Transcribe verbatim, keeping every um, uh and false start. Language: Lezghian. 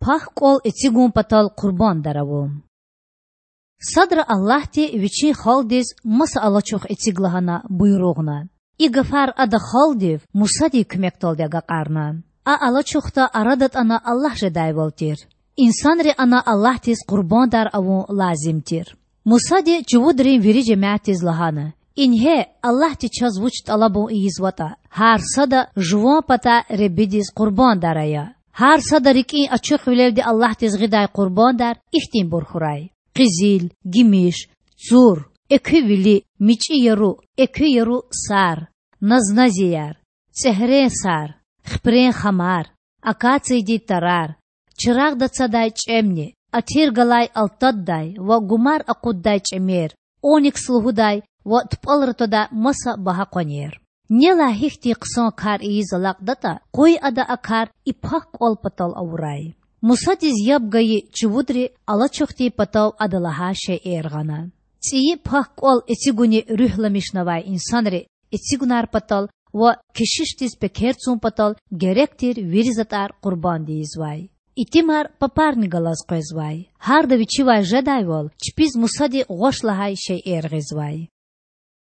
Пак кІвал эцигун патал къурбандар авун. Садра Аллагьди Вичин халкьдиз маса алачух эциг лагьана буйругъна. И гафар Ада халкьдив Мусадин куьмекдалди агакьарна. А алачухда ара датІана Аллагь жедайвал тир. Инсанри ана Аллагьдиз къурбандар авун лазим тир. Мусади чувудрин вири жемятдиз лагьана: Ингье, Аллагьди чаз вуч тІалабун ийизватІа: гьар сада жуван патай Худадиз къурбандар ая. Гьар сада рикІин ачухвилелди Аллагьдиз гъидай къурбандар ихьтинбур хьурай: къизил, гимиш, цур, экуь вили, мичІи яру, экуь яру сар, назназияр, цІегьрен сар, хипрен хамар, акациядин тарар, чирагъда цадай чІемни, атир галай алтаддай ва гумар акъуддай чІемер, оникс лугьудай ва тупІалра твадай маса багьа къванер. Нелай гьихьтин хъсан кар ийиз алакьдатІа, къуй ада а кар и пак кІвал патал авурай. Мусадиз яб гайи чувудри алачухдин патав ада лагьай шейэр гъана. ЦІийи пак кІвал эцигуни руьгьламишнавай инсанри эцигунар патал ва кешишдиз пекер цун патал герек тир вири затІар къурбанд ийизвай. Итимар папарни галаз къвезвай. Гьарда вичивай жедайвал, чпиз Мусади гъваш лагьай шейэр гъизвай.